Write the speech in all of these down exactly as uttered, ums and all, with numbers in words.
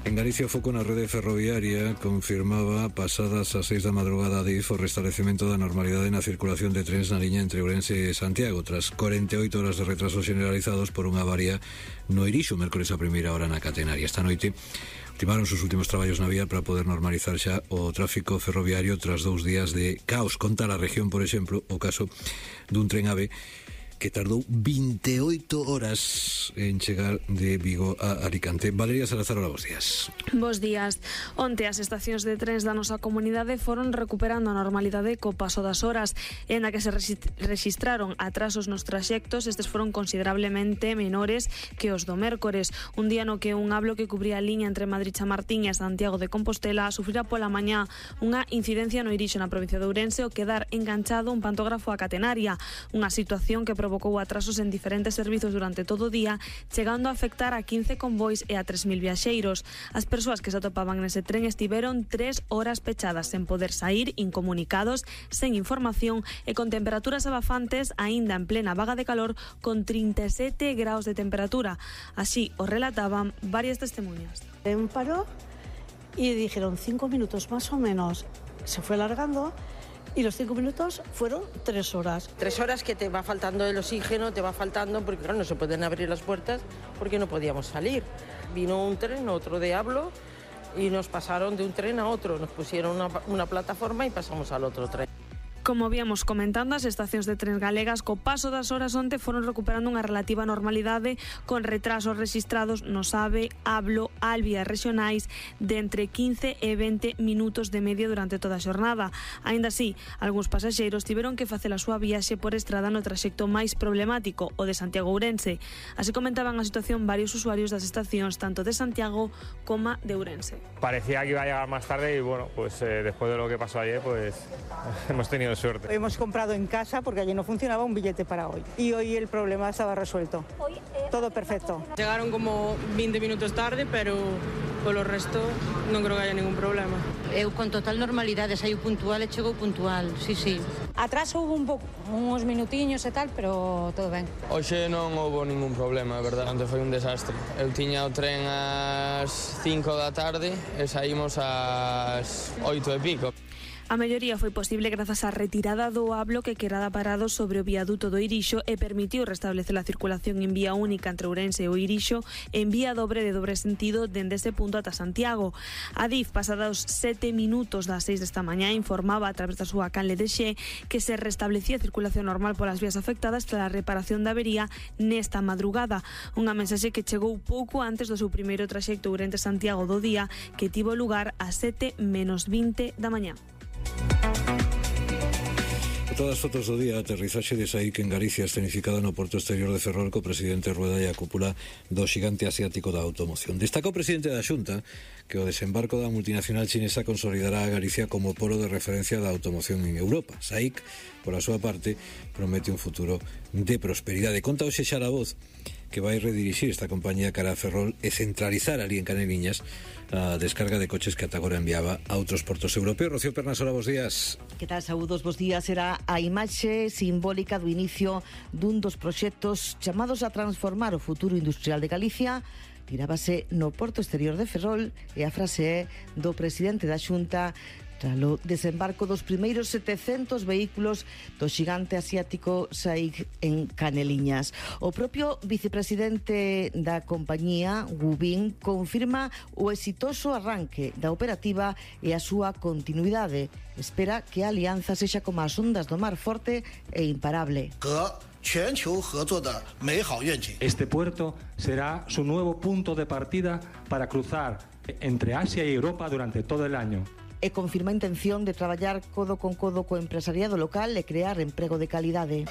En Galicia o foco na rede ferroviaria confirmaba pasadas as seis da madrugada de Adif o restablecemento da normalidade na circulación de trens na liña entre Ourense e Santiago tras cuarenta e oito horas de retrasos generalizados por unha avaría no Irixo mércores a primeira hora na catenaria. Esta noite ultimaron os últimos traballos na vía para poder normalizar xa o tráfico ferroviario tras dous días de caos. Conta a región, por exemplo, o caso dun tren AVE que tardou vinte e oito horas en chegar de Vigo a Alicante. Valeria Salazar, hola, bos días. Bos días. Onte as estacións de trens da nosa comunidade foron recuperando a normalidade co paso das horas, en a que se rexistraron atrasos nos traxectos. Estes foron considerablemente menores que os do mércores, un día no que un hablo que cubría a liña entre Madrid Chamartín e Santiago de Compostela sufrira pola mañá unha incidencia no Irixo na provincia de Ourense ao quedar enganchado un pantógrafo a catenaria, unha situación que provocou atrasos en diferentes servizos durante todo o día, chegando a afectar a quince convois e a tres mil viaxeiros. As persoas que se atopaban nese tren estiveron tres horas pechadas sen poder sair, incomunicados, sen información e con temperaturas abafantes aínda en plena vaga de calor con trinta e sete graus de temperatura. Así o relataban varias testemunhas. En paró y dijeron cinco minutos más o menos. Se fue alargando. Y los cinco minutos fueron tres horas. Tres horas que te va faltando el oxígeno, te va faltando, porque claro, no se pueden abrir las puertas porque no podíamos salir. Vino un tren, otro de hablo, y nos pasaron de un tren a otro. Nos pusieron una, una plataforma y pasamos al otro tren. Como víamos comentando, as estacións de trens galegas co paso das horas onte foron recuperando unha relativa normalidade con retrasos rexistrados no AVE, Hablo, Alvia regionais de entre quince e vinte minutos de media durante toda a xornada. Aínda así, algúns pasaxeiros tiveron que facer a súa viaxe por estrada no traxecto máis problemático, o de Santiago Ourense. Así comentaban a situación varios usuarios das estacións tanto de Santiago como de Ourense. Parecía que iba a llegar más tarde y bueno, pues eh, después de lo que pasó ayer, pues hemos tenido suerte. Hemos comprado en casa porque allí no funcionaba un billete para hoy. Y hoy el problema estaba resuelto. Todo perfecto. Llegaron como veinte minutos tarde, pero por lo resto non creo que haya ningún problema. Eu con total normalidade, saíu puntual e chegou puntual, sí, sí. Atraso hubo un pouco, uns minutiños e tal, pero todo ben. Hoxe non houve ningún problema, é verdade, onte foi un desastre. Eu tiña o tren ás cinco da tarde e saímos ás oito e pico. A melloría foi posible grazas á retirada do hablo que quedaba parado sobre o viaduto do Irixo e permitiu restablecer a circulación en vía única entre Ourense e o Irixo en vía dobre de dobre sentido dende ese punto ata Santiago. Adif, pasados sete minutos das seis desta mañá, informaba a través da súa canle de Xe que se restablecía a circulación normal polas vías afectadas tras a reparación da avería nesta madrugada. Unha mensaxe que chegou pouco antes do seu primeiro traxecto Ourense-Santiago do día, que tivo lugar a sete menos vinte da mañá. Todas as fotos do día, aterrizaxe de Saíc en Galicia escenificado no porto exterior de Ferrol co presidente Rueda e a cúpula do xigante asiático da automoción. Destacou o presidente da Xunta que o desembarco da multinacional chinesa consolidará a Galicia como polo de referencia da automoción en Europa. Saíc, por a súa parte, promete un futuro de prosperidade. Conta hoxe Xara Voz que vai redirixir esta compañía cara a Ferrol e centralizar ali en Caneliñas a descarga de coches que ata agora enviaba a outros portos europeos. Rocío Pernasola, bos días. Que tal, saúdos, bos días. Será a imaxe simbólica do inicio dun dos proxectos chamados a transformar o futuro industrial de Galicia. Tirábase no porto exterior de Ferrol e a frase é do presidente da Xunta tralo desembarco dos primeiros setecentos vehículos do xigante asiático Saíc en Caneliñas. O propio vicepresidente da compañía, Wu Bin, confirma o exitoso arranque da operativa e a súa continuidade. Espera que a alianza sexa como as ondas do mar, forte e imparable. Este puerto será su nuevo punto de partida para cruzar entre Asia y Europa durante todo el año. E confirma a intención de traballar codo con codo co empresariado local e crear emprego de calidade.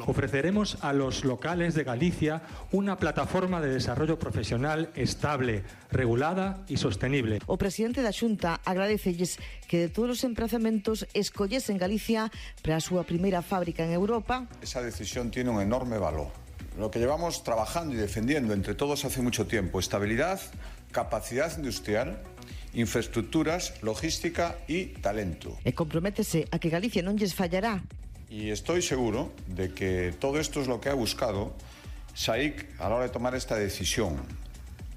Ofreceremos a los locales de Galicia una plataforma de desarrollo profesional estable, regulada y sostenible. O presidente da Xunta agradecelles que de todos os emprazamentos escollesen Galicia para a súa primeira fábrica en Europa. Esa decisión tiene un enorme valor. Lo que llevamos trabajando y defendiendo entre todos hace mucho tiempo, estabilidad, capacidad industrial, infraestructuras, logística y talento. E comprométese a que Galicia non lles fallará. Y estoy seguro de que todo esto es lo que ha buscado Saíc a la hora de tomar esta decisión.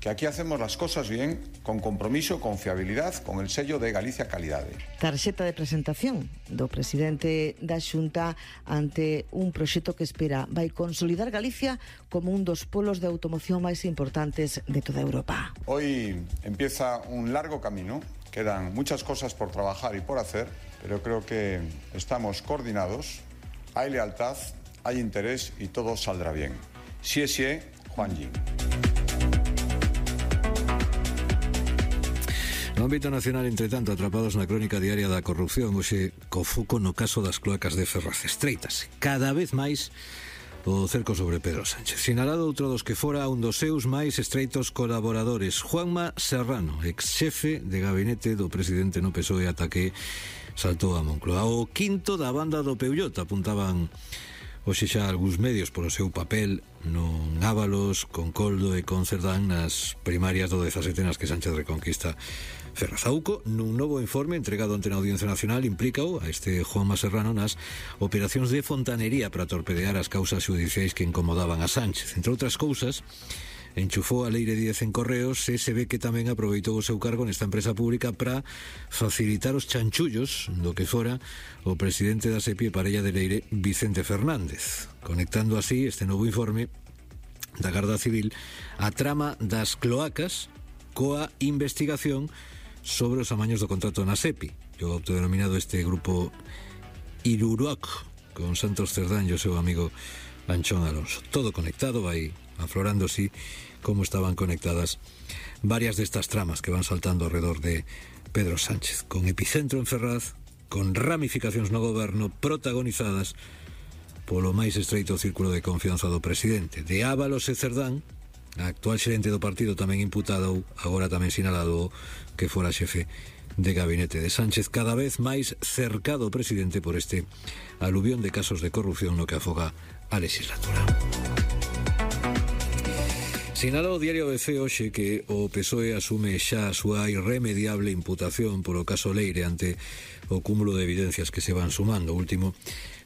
que aquí hacemos las cosas bien, con compromiso, con fiabilidad, con el sello de Galicia Calidade. Tarxeta de presentación do presidente da Xunta ante un proxecto que espera vai consolidar Galicia como un dos polos de automoción máis importantes de toda Europa. Hoy empieza un largo camino, quedan muchas cosas por trabajar y por hacer, pero creo que estamos coordinados, hay lealtad, hay interés y todo saldrá bien. Xie xie, Juan Yin. No ámbito nacional, entre tanto, atrapados na crónica diaria da corrupción, hoxe co foco no caso das cloacas de Ferraz. Estreitase cada vez máis o cerco sobre Pedro Sánchez. Sinalado outro dos que fora un dos seus máis estreitos colaboradores, Juanma Serrano, ex-xefe de gabinete do presidente no P S O E ata que saltou a Moncloa. O quinto da banda do Peullot, apuntaban hoxe xa algúns medios polo seu papel non Ábalos, con Coldo e con Cerdán nas primarias do dezasete nas que Sánchez reconquista Ferraz. Auco, nun novo informe entregado ante a Audiencia Nacional, implícao a este Juanma Serrano nas operacións de fontanería para torpedear as causas xudiciais que incomodaban a Sánchez. Entre outras cousas, enchufou a Leire Díez en Correos e se ve que tamén aproveitou o seu cargo nesta empresa pública para facilitar os chanchullos do que fora o presidente da SEPI e parella de Leire, Vicente Fernández, conectando así este novo informe da Garda Civil a trama das cloacas coa investigación sobre os amaños do contrato na SEPI, o autodenominado este grupo Iruroc, con Santos Cerdán e o seu amigo Anchón Alonso. Todo conectado, vai aflorando así como estaban conectadas varias destas tramas que van saltando alrededor de Pedro Sánchez, con epicentro en Ferraz, con ramificacións no goberno protagonizadas polo máis estreito círculo de confianza do presidente. De Ábalos e Cerdán, a actual xerente do partido tamén imputado, agora tamén sinalado que fora xefe de gabinete de Sánchez, cada vez máis cercado o presidente por este aluvión de casos de corrupción no que afoga a legislatura. Sinalou o diario B C hoxe que o P S O E asume xa a súa irremediable imputación polo caso Leire ante o cúmulo de evidencias que se van sumando. O último,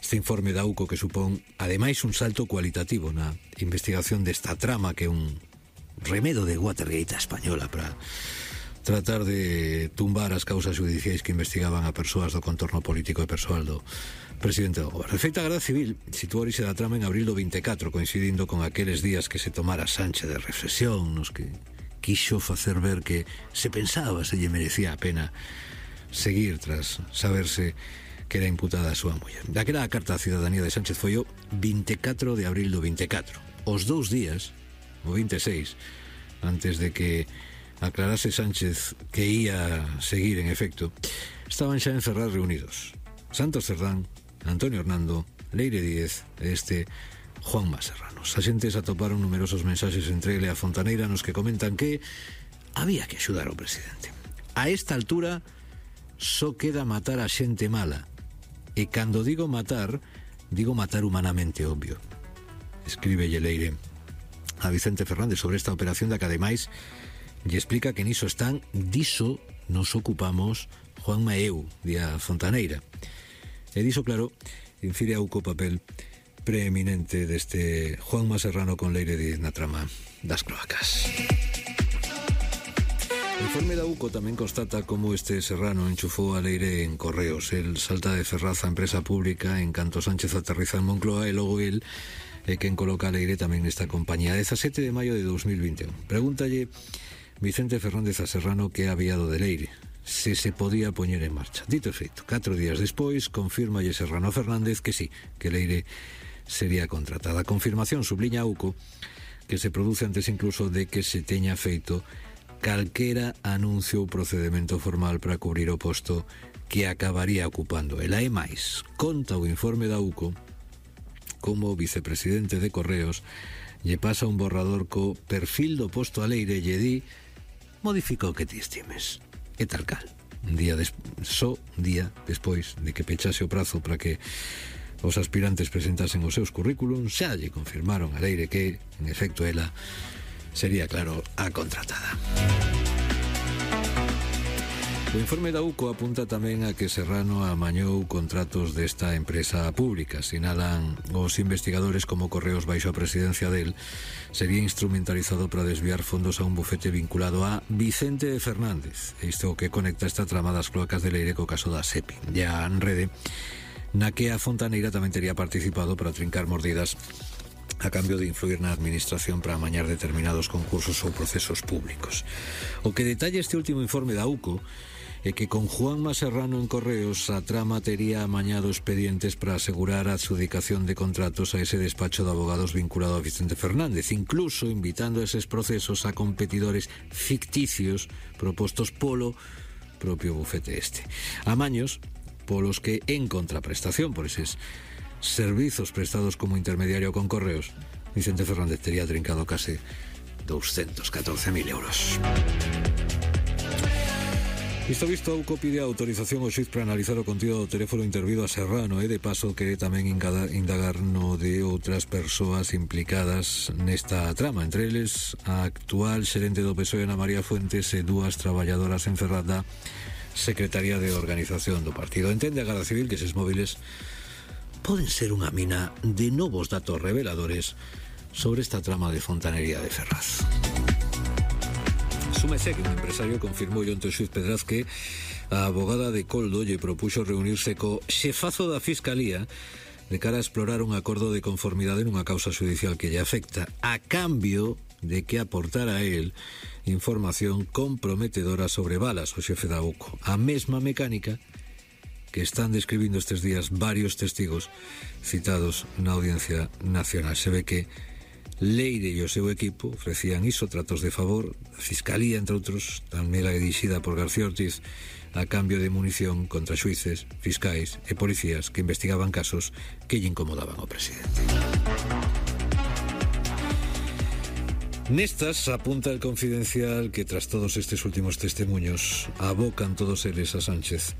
este informe da U C O que supón, ademais, un salto cualitativo na investigación desta trama que é un remedo de Watergate española para tratar de tumbar as causas judiciais que investigaban a persoas do contorno político e persoal do presidente do goberno. De feito, a Garda Civil situou orixe da trama en abril do vinte e catro, coincidindo con aqueles días que se tomara Sánchez de reflexión, nos que quixo facer ver que se pensaba se lle merecía a pena seguir tras saberse que era imputada a súa muller. Daquela a carta á cidadanía de Sánchez foi o vinte e catro de abril do vinte e catro. Os dous días, o vinte e seis, antes de que aclarase Sánchez que ia seguir en efecto, estaban xa en Ferraz reunidos Santos Cerdán, Antonio Hernando, Leire Díez e este Juanma Serrano. Os axentes atoparon numerosos mensaxes entre ele e a Fontaneira nos que comentan que había que axudar ao presidente. A esta altura só queda matar a xente mala, e cando digo matar, digo matar humanamente, obvio. Escribe Leire a Vicente Fernández sobre esta operación da que ademais lle explica que niso están, diso nos ocupamos Juanma e eu, di a Fontaneira. E diso, claro, infire a U C O papel preeminente deste Juanma Serrano con Leire Díez na trama das cloacas. O informe da U C O tamén constata como este Serrano enchufou a Leire en Correos. El salta de Ferraz a empresa pública en canto Sánchez aterriza en Moncloa e logo el é quen coloca a Leire tamén nesta compañía. dezasete de maio de dos mil vinte e un. Pregúntalle Vicente Fernández a Serrano que había do de Leire, se se podía poñer en marcha. Dito e feito, catro días despois, confirmalle Serrano a Fernández que sí, que Leire sería contratada. A confirmación subliña a U C O que se produce antes incluso de que se teña feito calquera anuncio ou procedimento formal para cubrir o posto que acabaría ocupando. Ela é máis, conta o informe da U C O como o vicepresidente de Correos lle pasa un borrador co perfil do posto a Leire e lle di: modifica o que ti estimes. E tal cal. Un día des... só un día despois de que pechase o prazo para que os aspirantes presentasen os seus currículums, xa lle confirmaron a Leire que, en efecto, ela sería, claro, a contratada. O informe da U C O apunta tamén a que Serrano amañou contratos desta empresa pública. Sinalan os investigadores como Correos baixo a presidencia del sería instrumentalizado para desviar fondos a un bufete vinculado a Vicente Fernández. Isto que conecta esta trama das cloacas de Leire co caso da SEPI. Ya en rede, na que a Fontaneira tamén tería participado para trincar mordidas a cambio de influir na administración para amañar determinados concursos ou procesos públicos. O que detalla este último informe da U C O é que con Juanma Serrano en Correos a trama tería amañado expedientes para asegurar a adjudicación de contratos a ese despacho de abogados vinculado a Vicente Fernández, incluso invitando a eses procesos a competidores ficticios propostos polo propio bufete este. Amaños polos que, en contraprestación por eses servizos prestados como intermediario con Correos, Vicente Fernández tería trincado case doscientos catorce mil euros. Isto visto, a U C O pide a autorización ao xuiz para analizar o contido do teléfono intervido a Serrano e de paso quere tamén indagar no de outras persoas implicadas nesta trama, entre eles a actual xerente do P S O E Ana María Fuentes e dúas traballadoras en Ferrada, secretaria de organización do partido. Entende a Garda Civil que eses móviles poden ser unha mina de novos datos reveladores sobre esta trama de fontanería de Ferraz. Súmese que un empresario confirmou onte o xuiz Pedraz que a abogada de Coldo lle propuxo reunirse co xefazo da Fiscalía de cara a explorar un acordo de conformidade nunha causa judicial que lle afecta, a cambio de que aportara a él información comprometedora sobre balas, o xefe da U C O. A mesma mecánica que están describindo estes días varios testigos citados na Audiencia Nacional. Se ve que Leire e o seu equipo ofrecían iso, tratos de favor, a Fiscalía, entre outros, tamén a dirixida por García Ortiz, a cambio de munición contra xuíces, fiscais e policías que investigaban casos que lle incomodaban ao presidente. Nestas apunta el Confidencial que tras todos estes últimos testemunhos abocan todos eles a Sánchez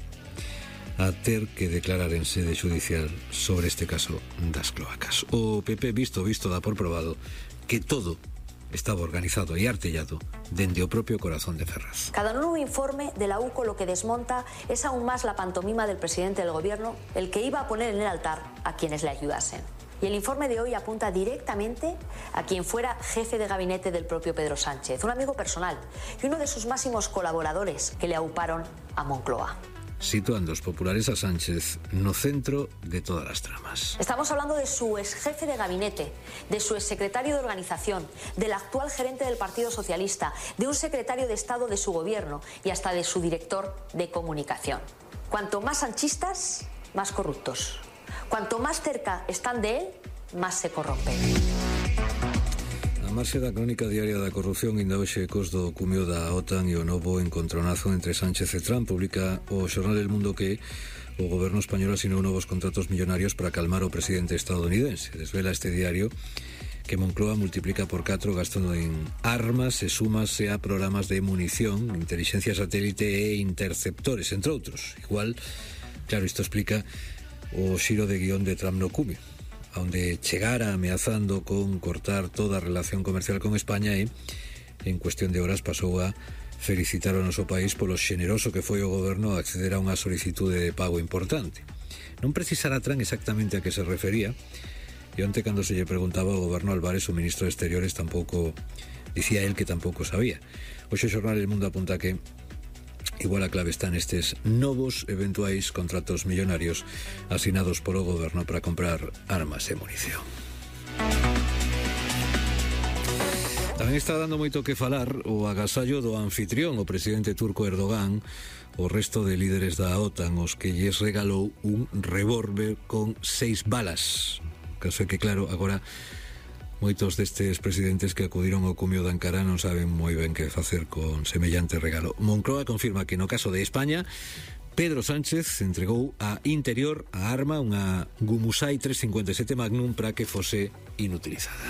a ter que declarar en sede judicial sobre este caso das cloacas. O P P visto visto dá por probado que todo estaba organizado e artellado dende o propio corazón de Ferraz. Cada nuevo informe de la U C O lo que desmonta es aún más la pantomima del presidente del gobierno, el que iba a poner en el altar a quienes le ayudasen. Y el informe de hoy apunta directamente a quien fuera jefe de gabinete del propio Pedro Sánchez, un amigo personal y uno de sus máximos colaboradores que le auparon a Moncloa. Situando os populares a Sánchez no centro de todas as tramas. Estamos hablando de su ex jefe de gabinete, de su ex secretario de organización, del actual gerente del Partido Socialista, de un secretario de Estado de su gobierno y hasta de su director de comunicación. Cuanto más sanchistas, más corruptos. Cuanto más cerca están de él, más se corrompen. A marxe da crónica diaria da corrupción, inda hoxe ecos do cumio da OTAN e o novo encontronazo entre Sánchez e Trump, publica o xornal El Mundo que o goberno español asinou novos contratos millonarios para calmar o presidente estadounidense. Desvela este diario que Moncloa multiplica por catro gasto en armas e súmase a programas de munición, inteligencia satélite e interceptores, entre outros. Igual, claro, isto explica o xiro de guión de Trump no cumio, onde chegara ameazando con cortar toda a relación comercial con España e, en cuestión de horas, pasou a felicitar o noso país polo xeneroso que foi o goberno a acceder a unha solicitude de pago importante. Non precisara Trump exactamente a que se refería, e onte cando se lle preguntaba ao goberno Álvarez, o ministro de Exteriores tampouco, dicía él que tampouco sabía. Hoxe o xornal El Mundo apunta que igual a clave están estes novos eventuais contratos millonarios asinados polo goberno para comprar armas e munición. Tamén está dando moito que falar o agasallo do anfitrión, o presidente turco Erdogan, o resto de líderes da OTAN, os que lles regalou un revólver con seis balas. O caso é que, claro, agora moitos destes presidentes que acudiron ao cumio de Ankara non saben moi ben que facer con semellante regalo. Moncloa confirma que no caso de España, Pedro Sánchez entregou a Interior a arma, unha Gumusai tres cincuenta e sete Magnum, para que fose inutilizada.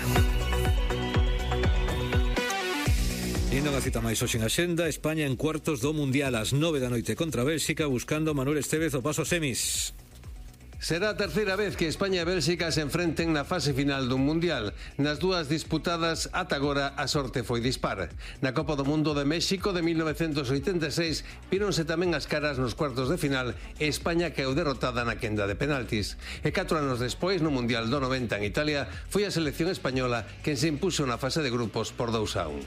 Indo unha cita máis hoxe en Axenda, España en cuartos do Mundial ás nove da noite contra Bélxica, buscando Manuel Estévez o paso a semis. Será a terceira vez que España e Bélxica se enfrenten na fase final dun Mundial. Nas dúas disputadas ata agora a sorte foi dispar. Na Copa do Mundo de México de mil novecientos oitenta e seis víronse tamén as caras nos cuartos de final e España caeu derrotada na quenda de penaltis. E catro anos despois, no Mundial do noventa en Italia, foi a selección española quen se impuxo na fase de grupos por dous a un.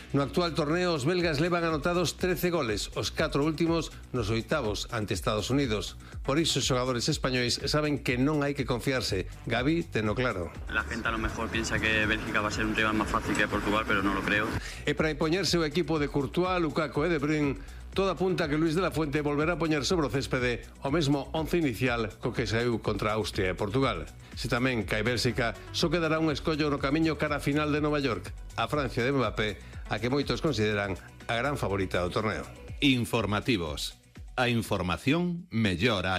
No actual torneo, os belgas levan anotados trece goles, os catro últimos nos oitavos ante Estados Unidos. Por iso, os xogadores españois saben que non hai que confiarse. Gavi teno claro. La gente a lo mejor piensa que Bélgica va a ser un rival más fácil que Portugal, pero no lo creo. E para impoñerse o equipo de Courtois, Lukaku e De Bruyne, toda apunta que Luis de la Fuente volverá a poñer sobre o céspede o mesmo once inicial co que saiu contra Austria e Portugal. Se tamén cae Bélxica, só quedará un escollo no camiño cara a final de Nova York, a Francia de Mbappé, a que moitos consideran a gran favorita do torneo. Informativos. A información mellora.